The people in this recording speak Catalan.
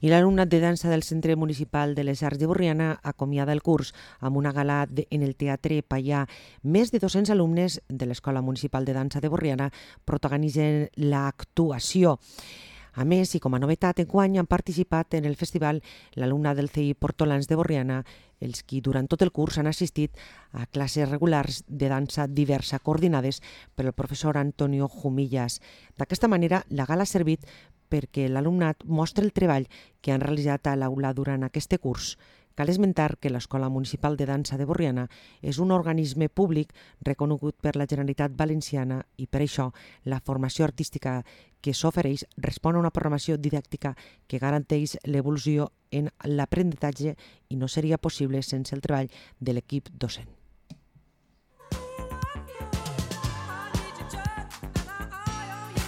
I l'alumnat de dansa del Centre Municipal de les Arts de Borriana acomiada el curs amb una gala en el Teatre Paià. Més de 200 alumnes de l'Escola Municipal de Dansa de Borriana protagonitzen l'actuació. A més, i com a novetat, enguany han participat en el festival l'alumnat del CEI Portolans de Borriana, els qui durant tot el curs han assistit a classes regulars de dansa diversa coordinades per el professor Antonio Jumillas. D'aquesta manera, la gala ha servit perquè l'alumnat mostra el treball que han realitzat a l'aula durant aquest curs. Cal esmentar que l'Escola Municipal de Dansa de Borriana és un organisme públic reconegut per la Generalitat Valenciana i per això la formació artística que s'ofereix respon a una programació didàctica que garanteix l'evolució en l'aprenentatge i no seria possible sense el treball de l'equip docent.